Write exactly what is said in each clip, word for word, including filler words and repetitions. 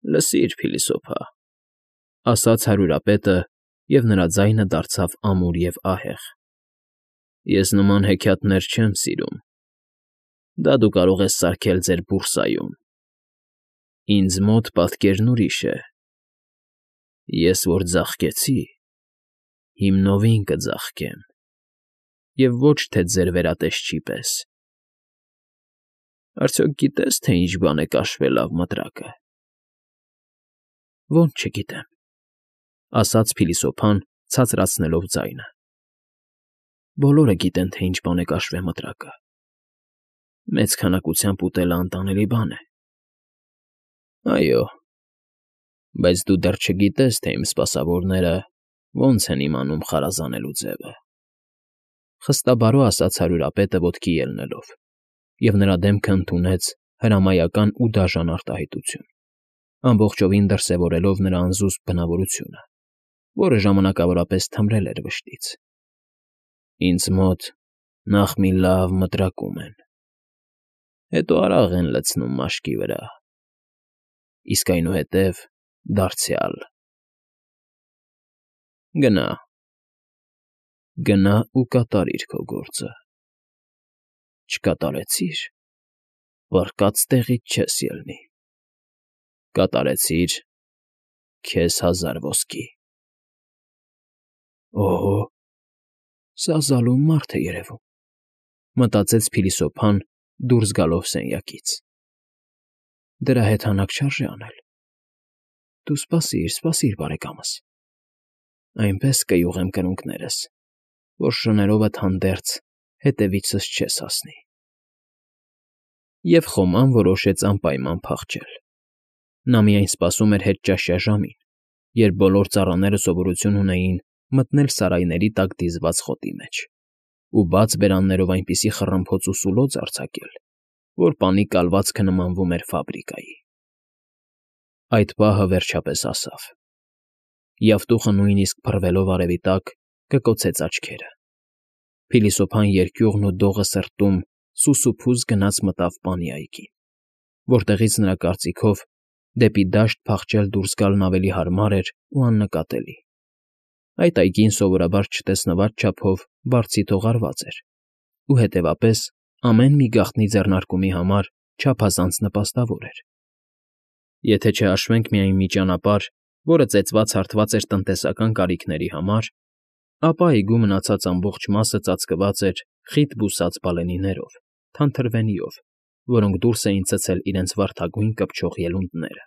Լսիր, փիլիսոփա,֊ ասաց հարյուրապետը, և նրա ձայնը դարձավ ամուր և ահեղ,֊ ես նման հեքիաթներ չեմ սիրում. դա դու կարող ես սարքել ձեր բուրսայում, ինձ մոտ պատկերն ուրիշ է. ես որ ձաղկեցի, հիմնովին կձաղկեմ, և ոչ թե ձեր վերատեսչի պես… Արդյոք գիտե՞ս, թե ինչ բան է կաշվե լավ մտրակը։ ֊ Ո՛չ, չգիտեմ,֊ ասաց փիլիսոփան, ցածրացնելով ձայնը։ ֊ Բոլորը գիտեն, թե ինչ բան է կաշվե մտրակը. մեծ քանակությամբ ուտելը անտանելի բան է։ ֊ Այո, բայց դու դեռ չգիտես, թե իմ սպասավորները ոնց են իմանում խարազանելու ձևը,֊ խստաբարո ասաց հարյուրապետը ոտքի ելնելով, և նրա դեմքը ընդունեց հրամայական ու դաժան արտահայտություն, ամբողջովին դրսևորելով նրա անզուսպ բնավորությունը, որը ժամանակավորապես թմրել էր վշտից։ Ինձ մոտ նախ մի լավ մտրակում են, հետո արագ են լցնում մաշկի վրա, իսկ այնուհետև դարձյալ… Գնա, գնա ու կատարիր քո գործը… Չկատարեցի՞ր, պառկած տեղիդ չես ելնի, կատարեցի՞ր, քեզ հազար ոսկի… Օհո, սա զալում մարդ է երևում,֊ մտածեց փիլիսոփան, դուրս գալով սենյակից։ դրա հետ հանակ չարժե անել… Դու սպասիր, սպասիր, բարեկամս… Այնպես կյուղեմ կրունկներս, որ շներովդ հանդերձ հետևիցս չես հասնի… Եվ խոման որոշեց անպայման փախչել… Նա միայն սպասում էր հետճաշյա ժամին, երբ բոլոր ծառաները սովորություն ունեին մտնել սարայների տակ դիզված խոտի մեջ ու բաց բերաններով այնպիսի խռմփոց ու սուլոց արձակել, որ պանի կալվածքը նմանվում էր ֆաբրիկայի… Այդ պահը վերջապես հասավ…Յավտուղը նույնիսկ փռվելով արևի տակ կկոցեց աչքերը… Փիլիսոփան երկյուղն ու դողը սրտում սուսուփուս գնաց մտավ պանի այգին, որտեղից նրա կարծիքով դեպի դաշտ փախչել դուրս գալն ավելի հարմար էր ու աննկատելի… Այդ այգին սովորաբար չտեսնված չափով բարձիթ հողարված էր ու, հետևապես, ամեն մի գաղտնի ձեռնարկումի համար չափազանց նպաստավոր էր… Եթե չհաշվենք միայն մի ճանապարհ, որը ծեծված֊հարթված էր տնտեսական կարիքների համար, ապա այգու մնացած ամբողջ մասը ծածկված էր խիտ բուսած բալենիներով, թանթրվենիով, որոնք դուրս էին ցցել իրենց վարդագույն կպչող ելունդները…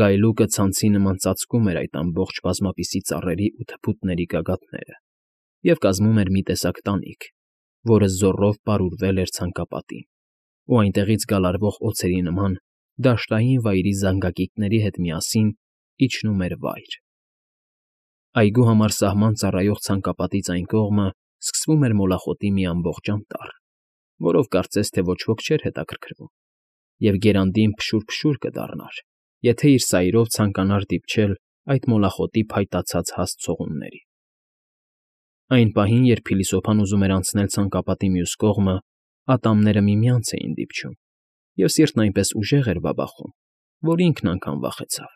Գայլուկը ցանցի նման ծածկում էր այդ ամբողջ բազմապիսի ծառերի ու թփուտների գագաթները և կազմում էր մի տեսակ տանիք, որը զոռով պարուրվել էր ցանկապատին ու այնտեղից գալարվող օձերի նման դաշտային վայրի զանգակիկների հետ միասին իջնում էր վայր… Այգու համար սահման ծառայող ցանկապատից այն կողմը սկսվում էր մոլախոտի մի ամբողջ անտառ, որով կարծես թե ոչ ոք չէր հետաքրքրվում, և գերանդին փշուր֊փշուր կդառնար, եթե իր սայրով ցանկանար դիպչել այդ մոլախոտի փայտացած հաստ ցողուններին… Այն պահին, երբ փիլիսոփան ուզում էր անցնել ցանկապատի մյուս կողմը, ատամները միմյանց էին դիպչում, և սիրտն այնպես ուժեղ էր բաբախում, որ ինքն անգամ վախեցավ…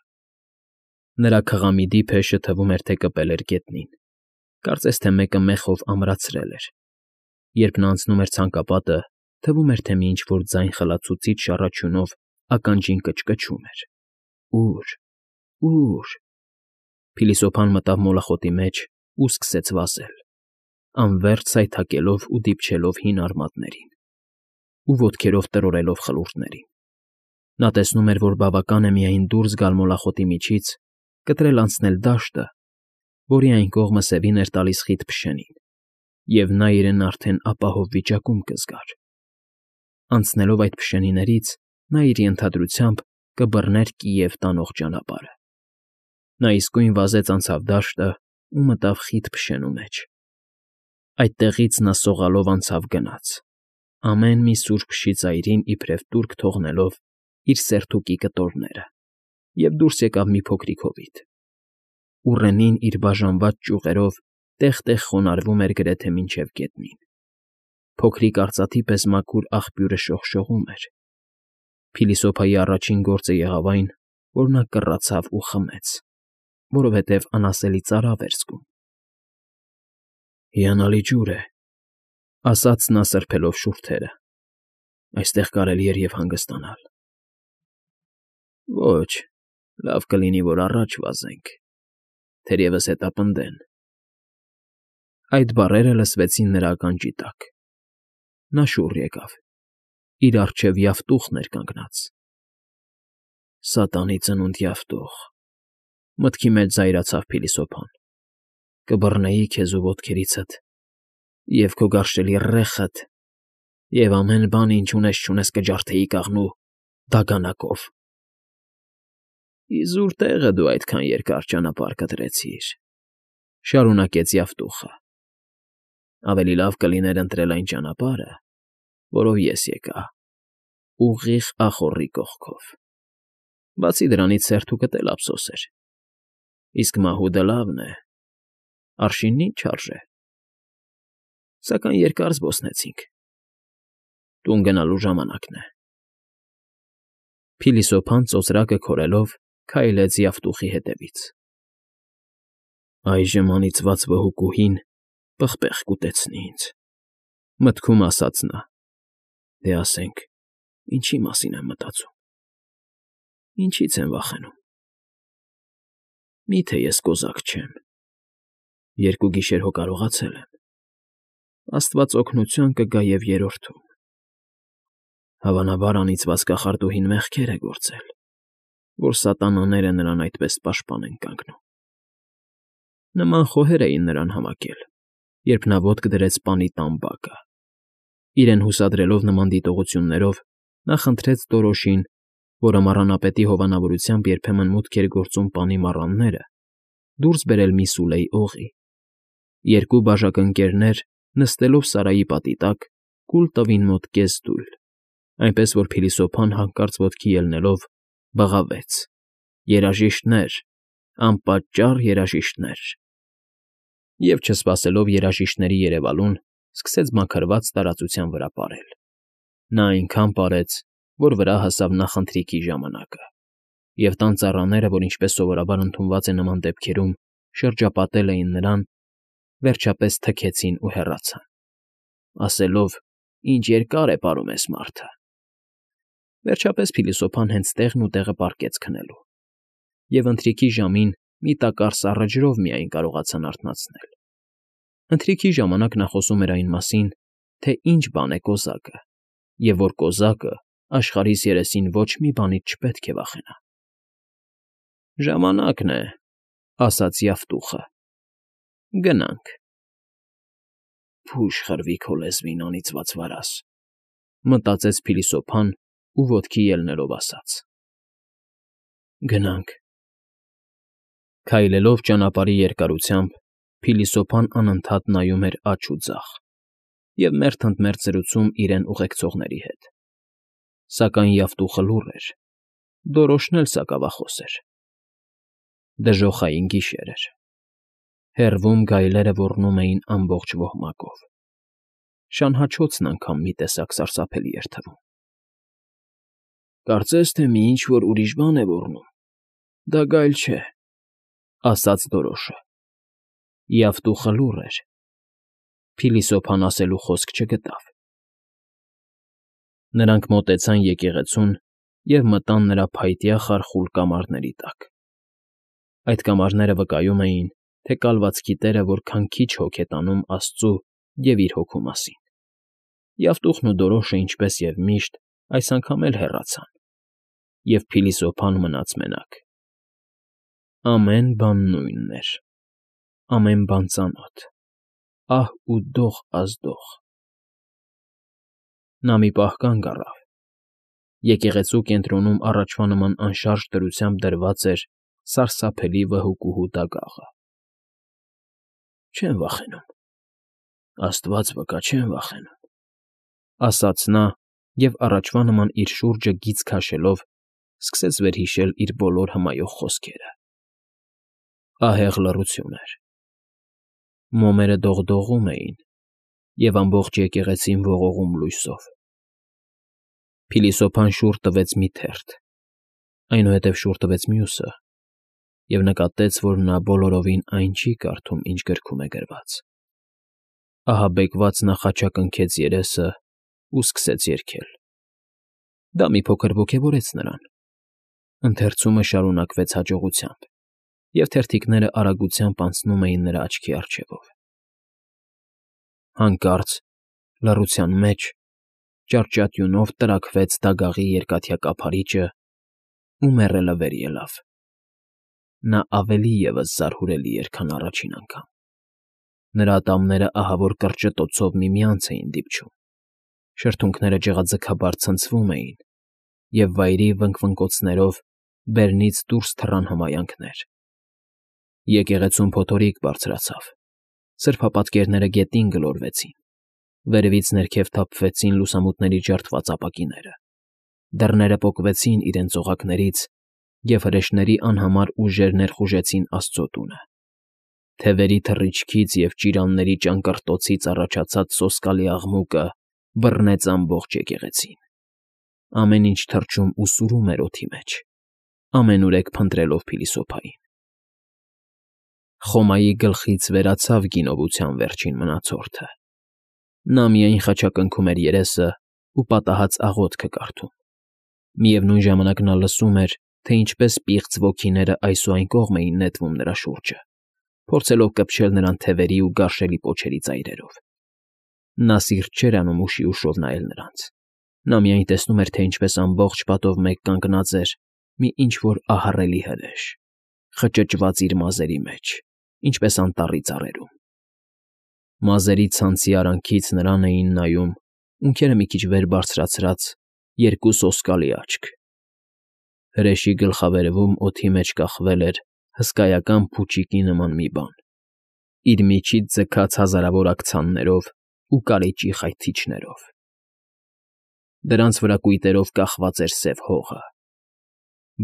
Նրա քղամիդի փեշը թվում էր, թե կպել էր գետնին, կարծես թե մեկը մեխով ամրացրել էր… Երբ նա անցնում էր ցանկապատը, թվում էր, թե մի ինչ֊որ ձայն խլացուցիչ շառաչյունով ականջին կչկչում էր… Ո՞ւր, ո՞ւր… Փիլիսոփան մտավ մոլախոտի մեջ ու սկսեց վազել, անվերջ սայթաքելով ու դիպչելով հին արմատներին ու ոտքերով տրորելով խլուրդներին… Նա տեսնում էր, որ բավական է միայն դուրս գալ մոլախոտի միջից, կտրել անցնել դաշտը, որի այն կողմը սևին էր տալիս խիտ փշենին, և նա իրեն արդեն ապահով վիճակում կզգար… Անցնելով այդ փշենիներից՝ նա իր ենթադրությամբ կբռներ Կիև տանող ճանապարհը… Նա իսկույն վազեց անցավ դաշտը ու մտավ խիտ փշենու մեջ… Այդտեղից նա սողալով անցավ գնաց, ամեն մի սուր փշի ծայրին իբրև տուրք թողնելով իր սերթուկի կտորները, և դուրս եկավ մի փոքրիկ հովիտ… Ուռենին իր բաժանված ճյուղերով տեղ֊տեղ խոնարհվում էր գրեթե մինչև գետնին… Փոքրիկ արծաթի պես մաքուր աղբյուրը շողշողում էր… Փիլիսոփայի առաջին գործը եղավ այն, որ նա կռացավ ու խմեց, որովհետև անասելի ծարավ էր զգում։ «Հիանալի ջուր է,֊ ասաց նա սրբելով շուրթերը։֊ Այստեղ կարելի էր և հանգստանալ»։ «Ոչ, լավ կլինի, որ առաջ վազենք, թերևս հետապնդեն»։ Այդ բառերը լսվեցին նրա ականջի տակ։ Նա շուռ եկավ, իր առջևյավտուղն էր կանգնած։ «Սատանի ծնունդ յավտուղ,֊ մտքի մեջ զայրացավ փիլիսոփան,֊ կբռնեի քեզ ու ոտքերիցդ, և քո գարշելի ռեխդ, և ամեն բան, ինչ ունես֊չունես, կջարդեի կաղնու դագանակով»։ «Իզուր տեղը դու այդքան երկար ճանապարհ կտրեցիր,֊ շարունակեց yավտուղը։֊ Ավելի լավ կլիներ ընտրել այն ճանապարհը, որով ես եկա, ուղիղ ախոռի կողքով, բացի դրանից սերտուկդ էլ ափսոս էր, իսկ մահուդը լավն է, արշինն ինչ արժե… Սակայն երկար զբոսնեցինք, տուն գնալու ժամանակն է»։ Փիլիսոփան ծոծրակը քորելով քայլեց yավտուղի հետևից։ «Այժմ անիծված վհուկուհին պղպեղ կուտեցնի ինձ,֊ մտքում ասաց նա։֊ Դե ասենք, ինչի մասին եմ մտածում, ինչի՞ց եմ վախենում… Մի՞թե ես կոզակ չեմ, երկու գիշեր հո կարողացել եմ, աստված օգնության կգա և երրորդում… Հավանաբար անիծված կախարդուհին մեղքեր է գործել, որ սատանաները նրան այդպես պաշտպան են կանգնում»։ Նման խոհեր էին նրան համակել, երբ նա ոտք դրեց պանի տան բակը։ Իրեն հուսադրելով նման դիտողություններով, նա խնդրեց Տորոշին, որը մառանապետի հովանավորությամբ երբեմն մուտք էր գործում պանի մառանները, դուրս բերել մի սուլեի օղի։ Երկու բաժակընկերներ, նստելով Սարայի պատի տակ, կուլ տվին մոտ կես դույլ, այնպես որ փիլիսոփան հանկարծ ոտքի ելնելով բղավեց. «Երաժիշտներ, անպատճառ երաժիշտներ…» և, չսպասելով երաժիշտների երևալուն, սկսեց մաքրված տարածության վրա պարել։ Նա այնքան պարեց, որ վրա հասավ նախընթրիքի ժամանակը, և տան ծառաները, որ ինչպես սովորաբար ընդունված է նման դեպքերում, շրջապատել էին նրան, վերջապես թքեցին ու հեռացան, ասելով. «Ինչ երկար է պարում էս մարդը»։ Վերջապես փիլիսոփան հենց տեղն ու տեղը պառկեց քնելու, և ընթրիքի ժամին մի տակառ սառը ջրով միայն կարողացան արթնացնել։ Ընթրիքի ժամանակ նա խոսում էր այն մասին, թե ինչ բան է կոզակը, և որ կոզակը աշխարհիս երեսին ոչ մի բանից չպետք է վախենա։ «Ժամանակն է,֊ ասաց yավտուղը,֊ գնանք»։ «Փուշ խրվի քո լեզվին, անիծված վարազ,֊ մտածեց փիլիսոփան ու ոտքի ելնելով ասաց. «Գնանք»։ Քայլելով ճանապարհի երկարությամբ, փիլիսոփան անընդհատ նայում էր աջ ու ձախ և մերթ ընդ մերթ զրուցում իրեն ուղեկցողների հետ։ Սակայն yավտուղը լուռ էր, Դորոշն էլ սակավախոս էր։ Դժոխային գիշեր էր։ Հեռվում գայլերը ոռնում էին ամբողջ ոհմակով։ Շանհաչոցն անգամ մի տեսակ սարսափելի էր թվում։ «Կարծես թե մի ինչ֊որ ուրիշ բան է ոռնում, դա գայլ չէ»,֊ ասաց Դորոշը։ Yավտուղը լուռ էր։ Փիլիսոփան ասելու խոսք չգտավ։ Նրանք մոտեցան եկեղեցուն և մտան նրա փայտյա խարխուլ կամարների տակ։ Այդ կամարները վկայում էին, թե կալվածքի տերը որքան քիչ հոգ է տանում աստծու և իր հոգու մասին։ Yավտուղն ու Դորոշը, ինչպես և միշտ, այս անգամ էլ հեռացան, և փիլիսոփան մնաց մենակ։ Ամեն բան նույնն էր, ամեն բան ծանոթ, ահ ու դող ազդող։ Նա մի պահ կանգ առավ։ Եկեղեցու կենտրոնում առաջվա նման անշարժ դրությամբ դրված էր սարսափելի վհուկուհու դագաղը։ «Չեմ վախենում, աստված վկա, չեմ վախենում»,֊ ասաց նա և առաջվա նման իր շուրջը գիծ քաշելով՝ սկսեց վերհիշել իր բոլոր հմայող խոսքերը։ Ահեղ լռություն էր։ Մոմերը դողդողում էին, և ամբողջ եկեղեցին ողողում լույսով։ Փիլիսոփան շուռ տվեց մի թերթ, Այնուհետև շուռ տվեց մյուսը և նկատեց, որ նա բոլորովին այն չի կարդում, ինչ գրքում է գրված. ահաբեկված նա խաչակնքեց երեսն ու սկսեց երգել. դա մի փոքր ոգևորեց նրան. ընթերցումը շարունակվեց հաջողությամբ, և թերթիկները արագությամբ անցնում էին նրա աչքի առջևով. Հանկարծ լռության մեջ ճարճատյունով տրաքվեց դագաղի երկաթյա կափարիչը ու մեռելը վեր ելավ. նա ավելի ևս զարհուրելի էր, քան առաջին անգամ. նրա ատամները ահավոր կրճտոցով միմյանց էին դիպչում, շրթունքները ջղաձգաբար ցնցվում էին, և վայրի վնկվնկոցներով բերնից դուրս թռան հմայանքներ. եկեղեցում փոթորիկ բարձրացավ, սրբապատկերները գետին գլորվեցին, վերևից ներքև թափվեցին լուսամուտների ջարդված ապակիները, դռները պոկվեցին իրենց օղակներից, և հրեշների անհամար ուժեր ներխուժեցին Աստծո տունը. թևերի թռիչքից և ճիրանների ճանկռտոցից առաջացած սոսկալի աղմուկը բռնեց ամբողջ եկեղեցին. ամեն ինչ թռչում ու սուրում էր օդի մեջ, ամենուրեք փնտրելով փիլիսոփային. Խոմայի գլխից վերացավ գինովության վերջին մնացորդը. նա միայն խաչակնքում էր երեսն ու պատահած աղոթքը կարդում. միևնույն ժամանակ նա լսում էր, թե ինչպես պիղծ ոգիները այս ու այն կողմ էին նետվում նրա շուրջը, փորձելով կպչել նրան թևերի ու գարշելի պոչերի ծայրերով. նա սիրտ չէր անում ուշի ուշով նայել նրանց. նա միայն տեսնում էր, թե ինչպես ամբողջ պատով մեկ կանգնած էր մի ինչ֊որ ահռելի հրեշ, խճճված իր մազերի մեջ, ինչպես անտառի ծառերում. մազերի ցանցի արանքից նրան էին նայում, ունքերը մի քիչ վեր բարձրացրած, երկու սոսկալի աչք. հրեշի գլխավերևում օդի մեջ կախվել էր հսկայական փուչիկի նման մի բան, իր միջից ձգած հազարավոր աքցաններով ու կարիճի խայթիչներով. դրանց վրա կույտերով կախված էր սև հողը.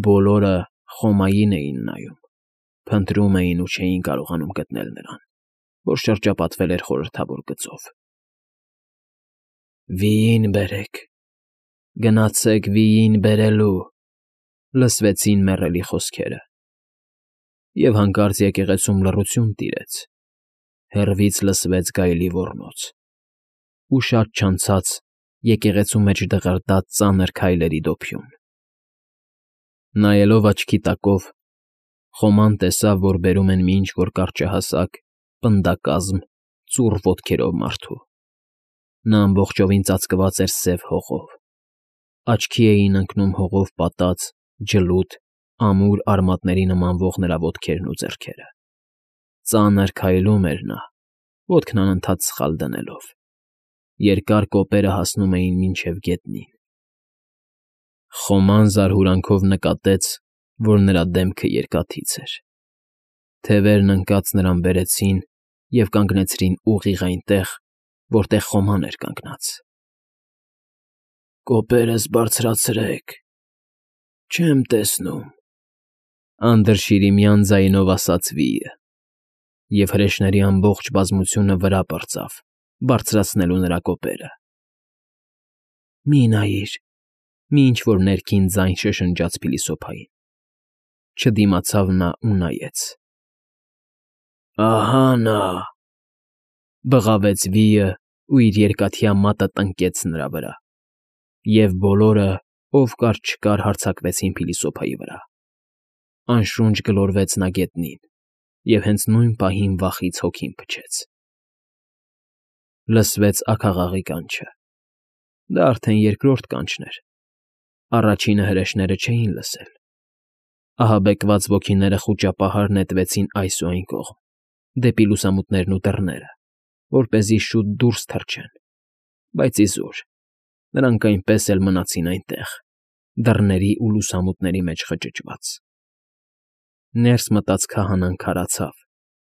բոլորը Խոմային էին նայում, փնտրում էին ու չէին կարողանում գտնել նրան, որ շրջապատվել էր խորհրդավոր գծով. «Վիին բերեք, գնացեք վիին բերելու», լսվեցին մեռելի խոսքերը, և հանկարծ եկեղեցում լռություն տիրեց, հեռվից լսվեց գայլի ոռնոց, ու շատ չանցած եկեղեցու մեջ դղրդաց ծանր քայլերի դոփյուն. նայելով աչքի տակով, Խոման տեսավ, որ բերում են մի ինչ֊որ կարճահասակ, պնդակազմ, ծուռ ոտքերով մարդու. նա ամբողջովին ծածկված էր սև հողով, աչքի էին ընկնում հողով պատած, ջլուտ, ամուր արմատների նմանվող նրա ոտքերն ու ձեռքերը. ծանր քայլում էր նա, ոտքն անընդհատ սխալ դնելով. երկար կոպերը հասնում էին մինչև գետնին. Խոման զարհուրանքով նկատեց, որ նրա դեմքը երկաթից էր. թևերն ընկած նրան բերեցին և կանգնեցրին ուղիղ այնտեղ, որտեղ Խոման էր կանգնած. «Կոպերս բարձրացրեք, չեմ տեսնում», անդրշիրիմյան ձայնով ասաց վիը, և հրեշների ամբողջ բազմությունը վրա պրծավ, բարձրացնելու նրա կոպերը. «Մի նայիր», մի ինչ֊որ ներքին ձայն շշնջաց փիլիսոփային. չդիմացավ նա ու նայեց. «Ահա նա», բղավեց վիը ու իր երկաթյա մատը տնկեց նրա վրա, և բոլորը, ով կար չկար, հարձակվեցին փիլիսոփայի վրա. անշունչ գլորվեց նա գետնին, և հենց նույն պահին վախից հոգին փչեց. լսվեց աքաղաղի կանչը. դա արդեն երկրորդ կանչն էր, առաջինը հրեշները չէին լսել. ահաբեկված ոգիները խուճապահար նետվեցին այս ու այն կողմ, դեպի լուսամուտներն ու դռները, որպեսզի շուտ դուրս թռչեն, բայց իզուր, նրանք այնպես էլ մնացին այնտեղ, դռների ու լուսամուտների մեջ խճճված. ներս մտած քահանան քարացավ,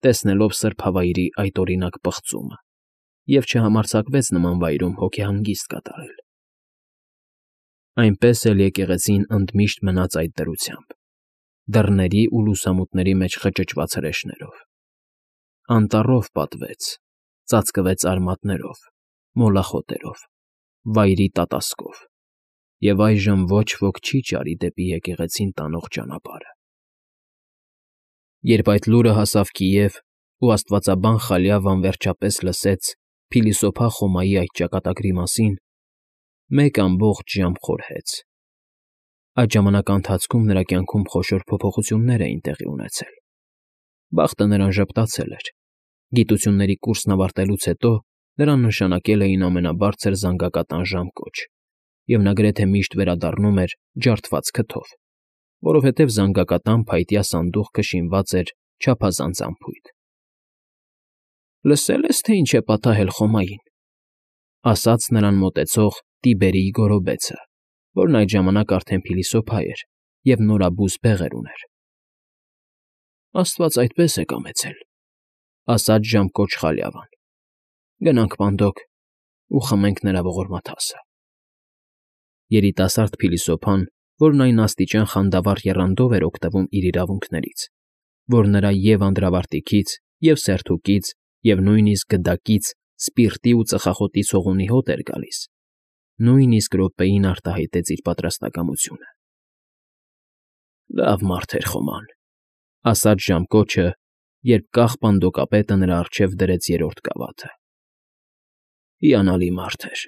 տեսնելով սրբավայրի այդօրինակ պղծումը, և չհամարձակվեց նման վայրում հոգեհանգիստ կատարել. այնպես էլ եկեղեցին ընդմիշտ մնաց այդ դրությամբ, դռների ու լուսամուտների մեջ խճճված հրեշներով. անտառով պատվեց, ծածկվեց արմատներով, մոլախոտերով, վայրի տատասկով, և այժմ ոչ ոք չի ճարի դեպի եկեղեցին տանող ճանապարհը։ Երբ այդ լուրը հասավ Կիև, ու աստվածաբան Խալյավան վերջապես լսեց փիլիսոփա Խոմայի այդ ճակատագրի մասին, մեկ ամբողջ ժամ խորհեց։ Այդ ժամանակի ընթացքում նրա կյանքում խոշոր փոփոխություններ էին տեղի ունեցել։ Բախտը նրան ժպտացել էր։ Գիտությունների կուրսն ավարտելուց հետո նրան նշանակել էին ամենաբարձր զանգակատան ժամկոչ, և նա գրեթե միշտ վերադառնում էր ջարդված քթով, որովհետև զանգակատան փայտյա սանդուղքը շինված էր չափազանց անփույթ։ «Լսե՞լ ես, թե ինչ է պատահել Խոմային,֊ ասաց նրան մոտեցող Տիբերիի գոռոբեցը, որն այդ ժամանակ արդեն փիլիսոփա էր և նորաբույս բեղեր ուներ։ ֊ Աստված այդպես է կամեցել,֊ ասաց ժամկոչ Խալյավան։ Գնանք պանդոկ ու խմենք նրա ողորմաթասը։ Երիտասարդ փիլիսոփան, որն այն աստիճան խանդավառ եռանդով էր օգտվում իր իրավունքներից, որ նրա և՛ անդրավարտիքից, և՛ սերթուկից, և նույնիսկ գդակից սպիրտի ու ծխախոտի ցողունի հոտ էր գալիս, նույնիսկ րոպեին արտահայտեց իր պատրաստակամությունը։ «Լավ մարդ էր Խոման,֊ ասաց ժամկոչը, երբ կախ պանդոկապետը նրա առջև դրեց երրորդ գավաթը։֊ Հիանալի մարդ էր…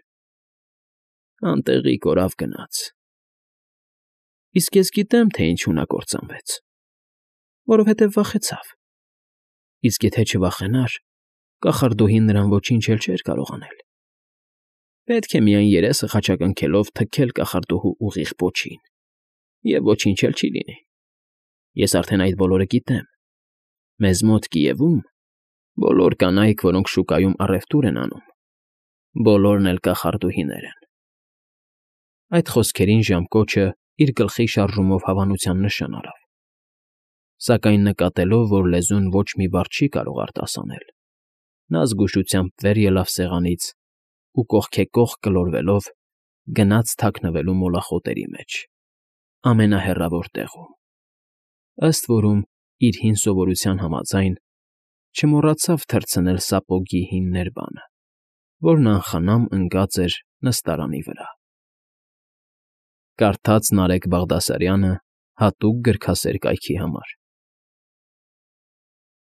Անտեղի կորավ գնաց։ Իսկ ես գիտեմ, թե ինչու նա կործանվեց… Որովհետև վախեցավ։ Իսկ եթե չվախենար, կախարդուհին նրան ոչինչ էլ չէր կարող անել… Պետք է միայն երեսը խաչակնքելով թքել կախարդուհու ուղիղ պոչին, և ոչինչ էլ չի լինի… Ես արդեն այդ բոլորը գիտեմ… Մեզ մոտ Կիևում բոլոր կանայք, որոնք շուկայում առևտուր են անում, բոլորն էլ կախարդուհիներ են…» Այդ խոսքերին ժամկոչը իր գլխի շարժումով հավանության նշան արավ, սակայն նկատելով, որ լեզուն ոչ մի բառ չի կարող արտասանել, նա զգուշությամբ վեր ելավ սեղանից ու կողքեկողք գլորվելով գնաց թաքնվելու մոլախոտերի մեջ, ամենահեռավոր տեղում, ըստ որում, իր հին սովորության համաձայն, չմոռացավ թռցնել սապոգի հին ներբանը, որն անխնամ ընկած էր նստարանի վրա։ Կարդաց Նարեկ Բաղդասարյանը հատուկ գրքասեր կայքի համար։